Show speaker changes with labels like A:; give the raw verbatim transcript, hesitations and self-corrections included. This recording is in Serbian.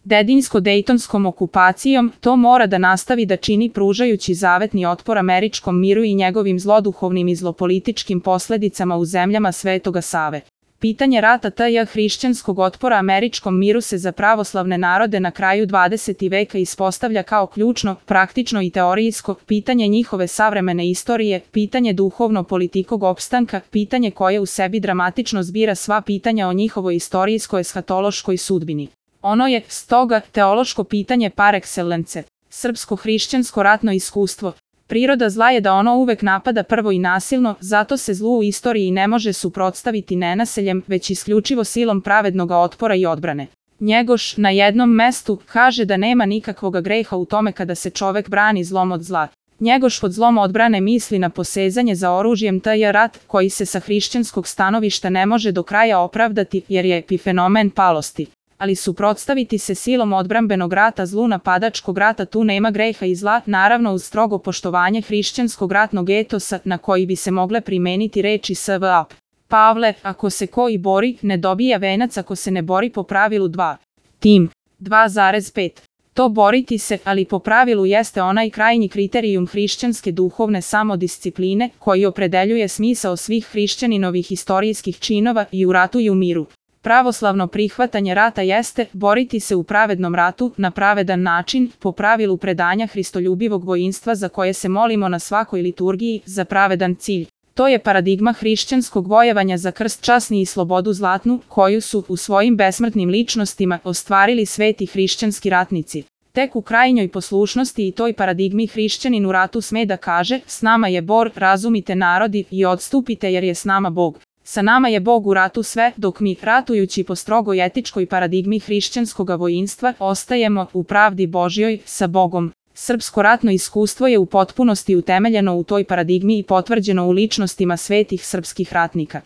A: Dedinsko-dejtonskom okupacijom, to mora da nastavi da čini pružajući zavetni otpor američkom miru i njegovim zloduhovnim i zlopolitičkim posledicama u zemljama Svetoga Save. Pitanje rata tj. hrišćanskog otpora američkom miru se za pravoslavne narode na kraju dvadesetog veka ispostavlja kao ključno, praktično i teorijsko pitanje njihove savremene istorije, pitanje duhovno-politikog opstanka, pitanje koje u sebi dramatično zbira sva pitanja o njihovoj istorijsko-eshatološkoj sudbini. Ono je, stoga, teološko pitanje par excellence, srpsko-hrišćansko ratno iskustvo. Priroda zla je da ono uvek napada prvo i nasilno, zato se zlu u istoriji ne može suprotstaviti nenasiljem, već isključivo silom pravednog otpora i odbrane. Njegoš, na jednom mestu, kaže da nema nikakvog greha u tome kada se čovek brani zlom od zla. Njegoš pod zlom odbrane misli na posezanje za oružjem tj. rat, koji se sa hrišćanskog stanovišta ne može do kraja opravdati, jer je epifenomen palosti. Ali suprotstaviti se silom odbrambenog rata zlu napadačkog rata tu nema greha i zla, naravno uz strogo poštovanje hrišćanskog ratnog etosa na koji bi se mogle primeniti reči S V A. Pavle, ako se ko i bori, ne dobija venac ako se ne bori po pravilu dva. Tim. dva zarez pet. To boriti se, ali po pravilu jeste onaj krajnji kriterijum hrišćanske duhovne samodiscipline koji opredeljuje smisao svih hrišćaninovih istorijskih činova i u ratu i u miru. Pravoslavno prihvatanje rata jeste boriti se u pravednom ratu na pravedan način, po pravilu predanja hristoljubivog vojinstva za koje se molimo na svakoj liturgiji, za pravedan cilj. To je paradigma hrišćanskog vojevanja za krst časni i slobodu zlatnu, koju su u svojim besmrtnim ličnostima ostvarili sveti hrišćanski ratnici. Tek u krajnjoj poslušnosti i toj paradigmi hrišćanin u ratu sme da kaže: s nama je Bor, razumite narodi i odstupite jer je s nama Bog. Sa nama je Bog u ratu sve, dok mi, ratujući po strogoj etičkoj paradigmi hrišćanskoga vojinstva, ostajemo u pravdi Božjoj sa Bogom. Srpsko ratno iskustvo je u potpunosti utemeljeno u toj paradigmi i potvrđeno u ličnostima svetih srpskih ratnika.